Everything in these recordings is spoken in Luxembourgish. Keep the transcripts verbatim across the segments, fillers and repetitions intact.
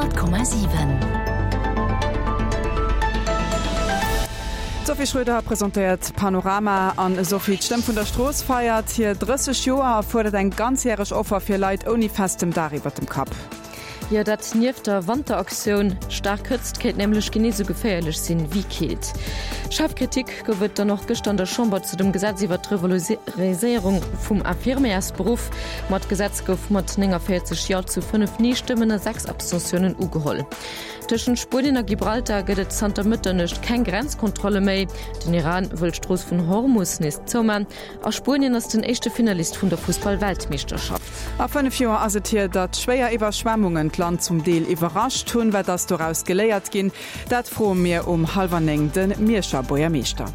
Honnert Komma siwen. D'Sophie Schröder presentéiert Panorama an Sophie, d'Stëmm vun der Strooss feiert hir drësseg Joer a fuerdert eng ganzjäreg Offer fir Leit ouni festem Daach iwwer dem Kapp. Jo, dat nieft der Wanteraktioun. Staark Hëtzt kéint nämlech genee sou geféierlech sinn wéi Keelt. Schaarf Kritik gouf et dann och gëschter an der Chamber zu dem Gesetz iwwer d'Revaloriséierung vum Infirmièrsberuff. Ma d'Gesetz gouf mat nénganvéierzeg Jo zu fënnef Nee-Stëmmen a sechs Abstentiounen ugeholl. Tëschent Spuenien a Gibraltar gëtt et zanter Mëtternuecht keng Grenzkontrolle méi. Den Iran wëll d'Strooss vun Hormus nees zouman a Spuenien ass den éischte Finalist vun der Fussball-Weltmeeschterschaft. A fënnef Joer ass et hier, datt schwéier Iwwerschwemmungen d'Land zum Deel iwwerrascht hunn. Wat ass doraus geléiert ginn? Dat froe mir um hallwer néng de Mierscher Buergermeeschter.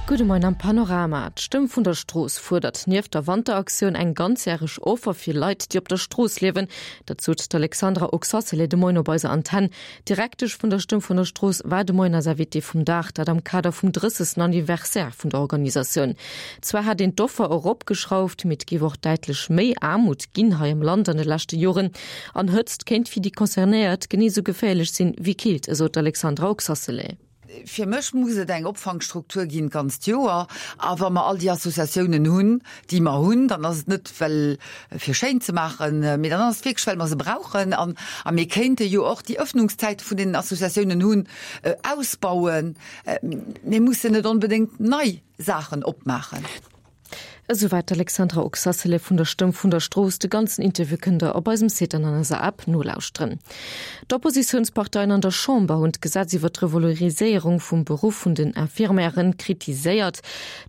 Gudde Moien am Panorama. D'Stëmm vun der Strooss fuerdert nieft der Wanteraktioun eng ganzjäreg Offer fir Leit, déi op der Strooss liewen. Dat sot d'Alexandra Oxacelay de Moien op eiser Antenn. D'Direktesch vun der Stëmm vun der Strooss war de Moien eis Invitée vum Dag, dat am Kader vum drëssegsten Anniversaire vun der Organisatioun. Zwar hätt een d'Offer eropgeschrauft, mee et géif och däitlech méi Aarmut ginn hei am Land an de leschte Joren. An Hëtzt kéint fir déi Concernéiert genee sou geféierlech sinn wéi Keelt, esou d'Alexandra Oxacelay. Fir mech muss et eng Opfangstruktur ginn d'ganzt Joer. A wa mer all déi Associatiounen hunn, déi mer hunn, dann ass et net well fir schéin ze maachen, mee dann ass et wierklech well mer se brauchen. An a mir kéinte jo och déi Öffnungszäite vun deenen Associatiounen hunn, ausbauen. Mir mussen net onbedéngt nei Saachen opmaachen. Esouwäit d'Alexandra Oxacelay vun der Stëmm vun der Strooss. De ganzen Interview kënnt der op eisem Site an an eiser App nolauschteren. D'Oppositiounsparteien an der Chamber hunn d'Gesetz iwwer d'Revaloriséierung vum Beruff vun den Infirmièren kritiséiert.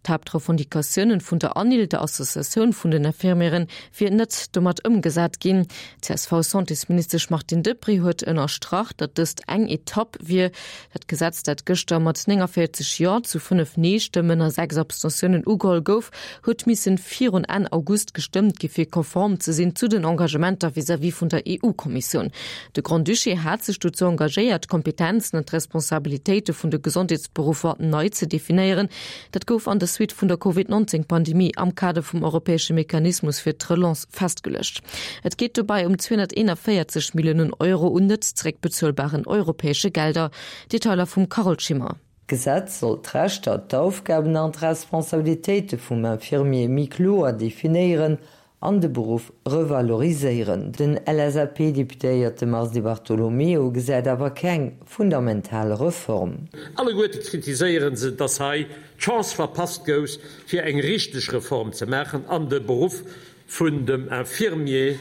D'Haaptrevendicatiounen vun der ANIL, der Associatioun vun den Infirmièren, wier net domat ëmgesat ginn. D'CSV-Santésministesch Martine Deprez huet ënnerstrach, datt dëst eng Etapp wier. Dat Gesetz, dat gëschter mat nénganvéierzeg Jo zu fënnef Nee-Stëmmen a sechs Abstentiounen ugeholl gouf, huet missen virun Enn August gestëmmt gi fir konform ze sinn zu den Engagementer vis-à-vis vun der E U-Kommissioun. De Grand-Duché hat sech dozou engagéiert, d'Kompetenzen an d'Responsabilitéite vun de Gesondheetsberuffer nei ze definéieren. Dat gouf an der Suite vun der Covid neunzehn Pandemie am Kader vum europäesche Mechanismus fir d'Relance festgeluecht. Et geet dobäi ëm zweehonnerteenanvéierzeg Milliounen Euro un net zeréckbezuelbaren europäesche Gelder. Detailer vum Carole Schimmer. D'Gesetz soll d'Rechter, d'Aufgaben an d'Responsabilitéite vum Infirmier méi kloer definéieren an de Beruff revaloriséieren. Den L S A P-Deputéierte Mars Di Bartolomeo gesäit awer keng fundamental Reform. Alleguerte kritiséiere se, dass hei d'Chance verpasst gouf, fir eng richteg Reform ze maachen an de Beruff vun dem Infirmier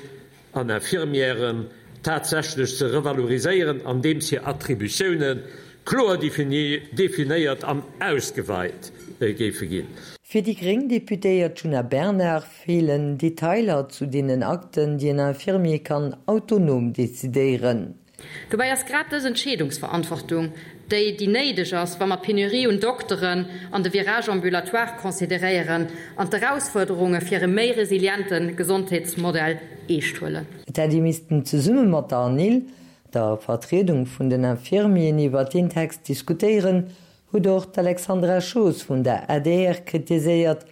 an Infirmièren tatsächlech ze revaloriséieren, andeems hir Attributioune kloer definéiert an ausgeweit géife ginn. Fir déi gréng Deputéiert Djuna Bernard feelen Detailer zu deenen Akten, déi en Infirmier kann autonom decidéieren. Dobäi ass grad dës Entscheedungsverantwortung déi, déi néideg ass, wa mer d'Penurie un Dokteren an de Virage ambulatoire consideréieren an d'Erausfuerderunge fir e méi resiliente Gesondheetsmodell eescht huelen. Et hätt ee missten zesumme mat der ANIL, der Vertriedung vun den Infirmieren, iwwer deen Text diskutéieren, huet och d'Alexandra Schoos vun der A D R kritiséiert.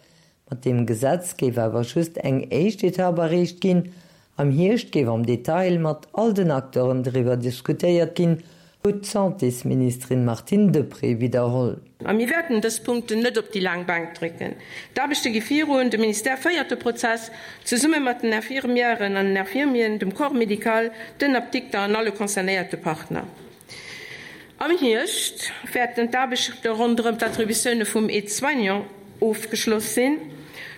Mat deem Gesetz géif awer just eng éischt Etapp erreecht ginn. Am Hierscht géif am Detail mat all den Acteuren driwwer diskutéiert ginn, huet d'Santésministerin Martine Deprez widderholl. A mir wäerten dës Punkten net op déi laang Bänk drécken. D'Aarbechte gi virun, de Ministère féiert de Prozess, zesumme mat den Infirmièren an den Infirmieren, dem Corps médical, den Apdikter an alle concernéierte Partner. Am Hierscht wäerten d'Aarbechte ronderëm d'Attributioune vum Aide-soignant ofgeschloss sinn.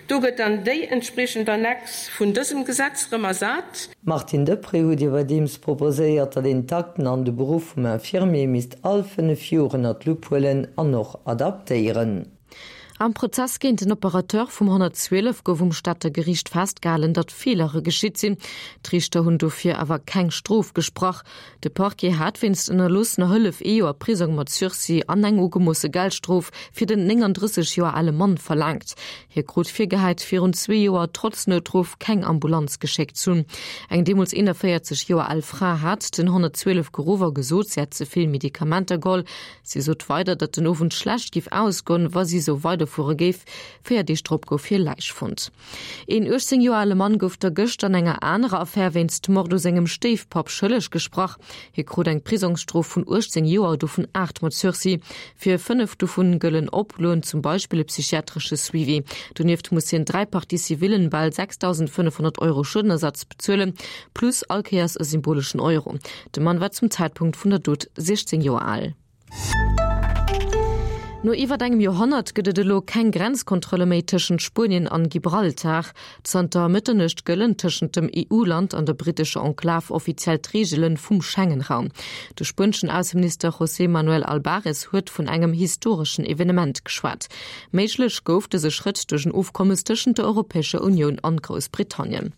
Do gëtt dann déi entspriechend Annex vun dësem Gesetz erëm ersat. D'Martine Deprez huet iwwerdeems proposéiert, datt een d'Akten an de Beruff vum Infirmier misst all fënnef Joer ënner d'Lupp huelen an och adaptéieren. Am Prozess géint den Operateur vum honnertzwielef gouf um Stater Geriicht festgehalen, datt Feelere geschitt sinn. D'Riichter hunn dofir awer keng Strof gesprach. De Parquet hat wéinst ënnerloossener Hëllef ee Joer Prisong mat Sursis an eng ugemoosse Geldstrof fir den nénganddrësseg Joer ale Mann verlaangt. Hie krut virgehäit, virun zwee Joer trotz Noutruff keng Ambulanz geschéckt ze hunn. Eng deemools eenanvéierzeg Joer al Fra hat den honnertzwielef geruff a gesot, si hätt ze vill Medikamenter geholl. Si sot weider, datt den Owend schlecht géif ausgoen, wa si esou weider gefuere géif. Véier Deeg drop gouf hir Läich fonnt. Een uechtzéng Joer ale Mann gouf da gëschter an enger anerer Affär wéinst Mord u sengem Stéifpapp schëlleg gesprach. Hie krut eng Prisongsstrof vun uechtzéng Joer, dovun aacht mat Sursis. Fir fënnef dovun gëllen Oploen, zum Beispill e psychiatresche Suivi. Donieft muss hien dräi Parties civillen bal sechstausendfënnefhonnert Euro Schuedenersatz bezuelen, plus all Kéiers e symboleschen Euro. De Mann war zum Zäitpunkt vun der Dot siechzéng Joer al. No iwwer engem Joerhonnert gëtt et elo keng Grenzkontrolle méi tëschent Spuenien an Gibraltar. Zanter Mëtternuecht gëllen tëschent dem E U-Land an der brittescher Enklav offiziell d'Reegele vum Schengen-Raum. De spueneschen Ausseminister José Manuel Albares huet vun engem historeschen Evenement geschwat. Méiglech gouf dëse Schrëtt duerch en Ofkommes tëschent der Europäescher Unioun an Groussbritannien.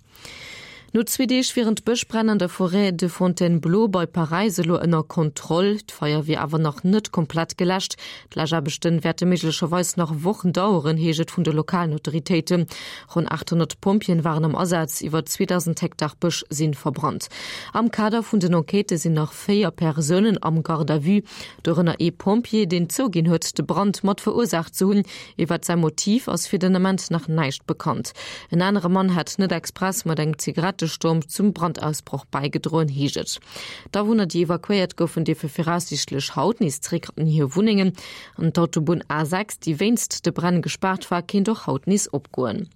No zwee Deeg wieren d'Bëschbränn an der Forêt de Fontainebleau bei Paräis elo ënner Kontroll. D'Feier wier awer nach net komplett geläscht. D'Läschaarbechte wäerte méiglecherweis nach Wochen daueren, heescht et vun de lokalen Autoritéiten. Ronn achthonnert Pompjeeën waren am Asaz, iwwer zweedausend Hektar Bësch si verbrannt. Am Kader vun den Enquêtë sinn nach véier Persounen am Garde à vue, dorënner ee Pompjee, deen zouginn huet, de Brand mat verursaacht ze hunn. Iwwer säi Motiv ass fir den Ament nach näischt bekannt. En anere Mann hätt net express mat engem Zigarettestomp zum Brandausbroch bäigedroen, heescht et. D'Awunner, déi evakuéiert goufen, dierfe viraussiichtlech haut nees zeréck an hir Wunnengen. An d'Autobunn A sechs, déi wéinst de Bränn gespaart war, kéint och haut nees opgoen.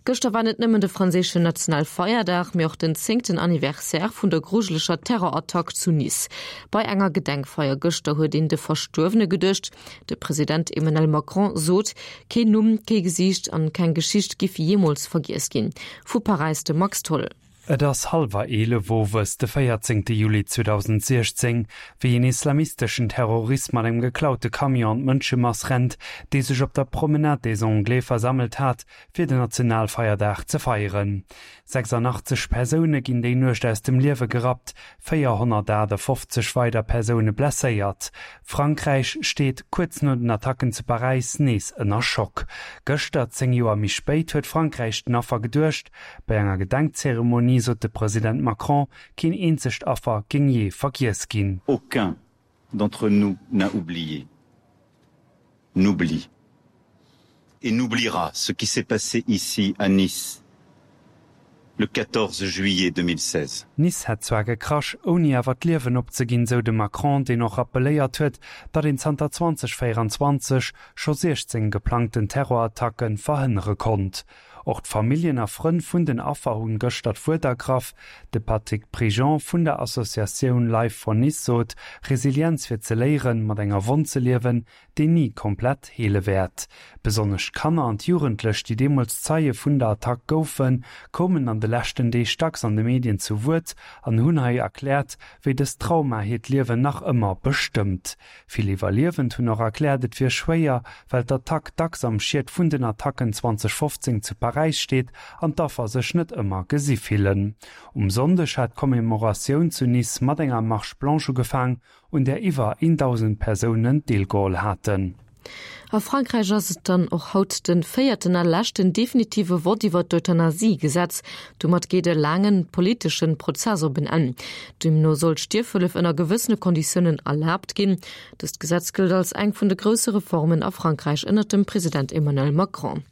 Gëschter war net nëmmen de franséischen Nationalfeierdag, mee och den zéngten Anniversaire vun der grujeleger Terrorattack zu Nice. Bei enger Gedenkfeier gëschter huet een de Verstuerwene geduecht. De President Emmanuel Macron sot, keen Numm, kee Gesiicht an keng Geschicht giff jeemools vergiess ginn. Vu Paräis de Max Tholl. Et ass hallwer eelef owes de véierzéngte Juli zweedausendsiechzéng, wéi een islamisteschen Terrorist mat engem geklaute Camion an d'Mënschemass rennt, déi sech op der Promenade des Anglais versammelt hat, fir den Nationalfeierdag ze feieren. sechsundachtzeg Persoune ginn déi Nuecht aus dem Liewe gerappt, véierhonnertachtefofzeg weider Persoune blesséiert. Frankräich steet kuerz no den Attacken zu Paräis nees ënner Schock. Gëschter, zéng Joer méi spéit, huet Frankräich den Affer geduecht. Bei enger Gedenkzeremonie sot de President Macron, keen eenzegt Affer géing jee vergiess ginn. Aucun d'entre nous n'a oublié, n'oublie et n'oubliera ce qui s'est passé ici à Nice le quatorze juillet deux mille seize. Nice hätt zwar gekrasch, ouni awer d'Liewen opzeginn, sou de Macron, deen och rappelléiert huet, datt een zanter zweedausendvéierenzwanzeg scho siechzéng geplangten Terrorattacke verhënnere konnt. Och d'Familljen a Frënn vun den Affer hunn gëschter d'Wuert ergraff. De Patrick Prigent vun der Associatioun Life for Nice sot, Resilienz wier ze léieren, mat enger Wonn ze liewen, déi ni komplett heele wäert. Besonnesch d'Kanner an d'Jugendlech, déi deemools Zeie vun der Attack goufen, koumen an de leschten Deeg dacks an de Medien zu Wuert an hunn hei erkläert, wéi dëst Trauma hiert Liewen nach ëmmer bestëmmt. Vill Iwwerliewend hunn och erkläert, et wier schwéier, well d'Attack dacks am Schiet vun den Attacken zweedausendfofzéng zu Paräis steet an d'Affer sech net ëmmer gesi fillen. Um Sonndeg hat d'Commemoratioun zu Nice mat enger Marche blanche ugefaang, un där iwwer dausend Persounen deelgeholl haten. A Frankräich ass et dann och haut de véierten a leschten definitive Vott iwwer d'Euthanasie-Gesetz. Domat geet e laange politesche Prozess op en Enn. Deemno soll d'Stierfhëllef ënner gewëssene Konditiounen erlaabt ginn. Dëst Gesetz gëllt als eng vun de grousse Reformen a Frankräich ënner dem President Emmanuel Macron.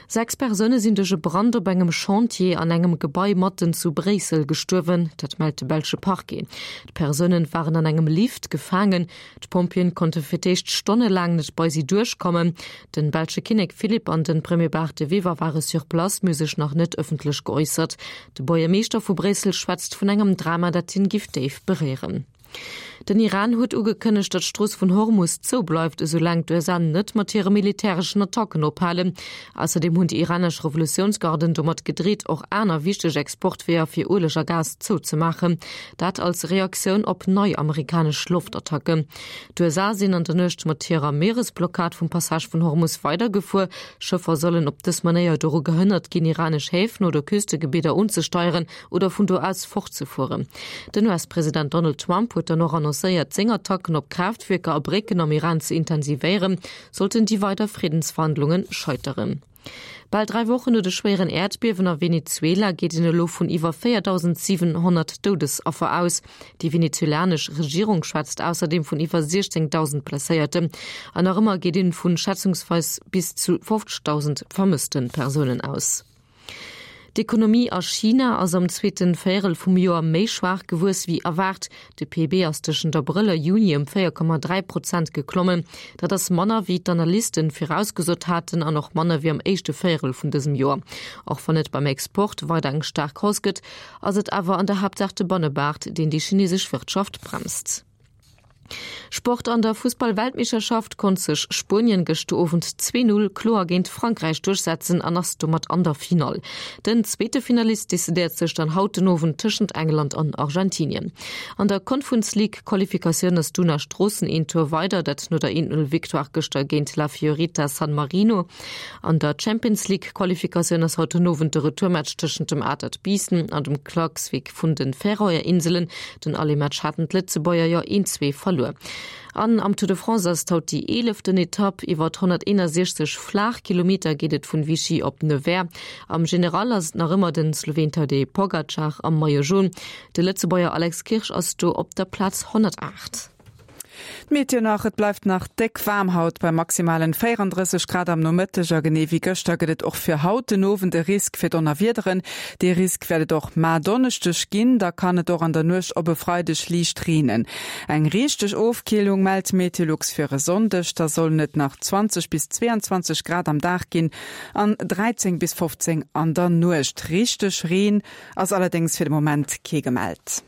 Sechs Persoune sinn duerch e Brand op engem Chantier an engem Gebai matten zu Bréissel gestuerwen, dat mellt de belsche Parquet. D'Persoune waren an engem Lift gefaangen. D'Pompjeeën konnte fir d'éischt stonnelaang net bei si duerchkommen. Den belsche Kinnek Philippe an den Premier Bart de Wever ware sur place, mee sech nach net ëffentlech geäussert. De Buergermeeschter vu Bréissel schwätzt vun engem Drama, dat hien géif déif beréieren. Den Iran huet ugekënnegt, datt d'Strooss vun Hormus zoubleift, esoulaang d'U S A net mat hire militäreschen Attacken ophalen. Ausserdeem hunn déi iranesch Revolutiounsgarden domat gedreet, och aner wichteg Exportweeër fir Ueleg a Gas zouzemaachen. Dat als Reaktioun op nei amerikanesch Loftattacken. D'U S A sinn an der Nuecht mat hirer Mieresblockad vum Passage vun Hormus weidergefuer. Schëffer sollen op dës Manéier doru gehënnert ginn, iranesch Häfen oder Küstegebidder unzesteieren oder vun do aus fortzefueren. Den U S-President Donald Trump huet huet dann och annoncéiert, seng Attacken op Kraaftwierker a Brécken am Iran ze intensivéieren, sollten déi weider Friddensverhandlunge scheiteren. Bal dräi Wochen no de schwéieren Äerdbiewen a Venezuela geet een elo vun iwwer véierdausendsiwenhonnert Doudesaffer aus. Déi venezuelanesch Regierung schwätzt ausserdeem vun iwwer siechzéngdausend Blesséierten. An nach ëmmer geet een vun schätzungsweis bis zu fofzegdausend vermësste Persounen aus. D'Ekonomie a China ass am zweete Véierel vum Joer méi schwaach gewuess wéi erwaart. De P I B ass tëschent Abrëll a Juni ëm véier Komma dräi Prozent geklommen. Dat ass manner wéi d'Analysten virausgesot haten an och manner wéi am éischte Véierel vun dësem Joer. Och wann et beim Export weider eng staark Hausse gëtt, ass et awer an der Haaptsaach de Bannebaart, deen déi chinesesch Wirtschaft bremst. Sport An der Fussball-Weltmeeschterschaft konnt sech Spuenien gëschter Owend zwee Null kloer géint Frankräich duerchsetzen an ass domat an der Finall. Den zweete Finalist decidéiert sech dann haut den Owend tëschent England an Argentinien. An der Conference League Qualifikatioun ass d'Una Stroossen een Tour weider, dat no der een Null Victoire gëschter géint La Fiorita San Marino. An der Champions League Qualifikatioun ass haut den Owend de Retourmatch tëschent dem Atert Biissen an dem Klaksvík vun de Färöer Inselen. Den Aller-Match haten d'Lëtzebuerger jo een zwee verluer. An am Tour de France ass et haut déi eeleften Etapp. Iwwer honnerteenasechzeg flaach Kilometer geet et vun Vichy op Nevers. Am General ass et nach ëmmer den Sloween Tadej Pogacar am Maillot Jaune. De Lëtzebuerger Alex Kirsch ass do op der Plaz honnertaacht. D'Meteo nach, Et bleift nach déck waarm haut bei maximalen véierandrësseg Grad am Nomëtteg a genee wéi gëschter gëtt et och fir haut den Owend e Risk fir Donnerwiederen. Dee Risk wäert et och mar Donneschdeg ginn, da kann et och an der Nuecht op e Freideg liicht reenen. Eng richteg Ofkillung mellt Meteolux fir e Sonndeg, da sollen et nach zwanzeg bis zweeanzwanzeg Grad am Dag ginn an dräizéng bis fofzéng an der Nuecht. Richteg Reen ass allerdéngs fir de Moment kee gemellt.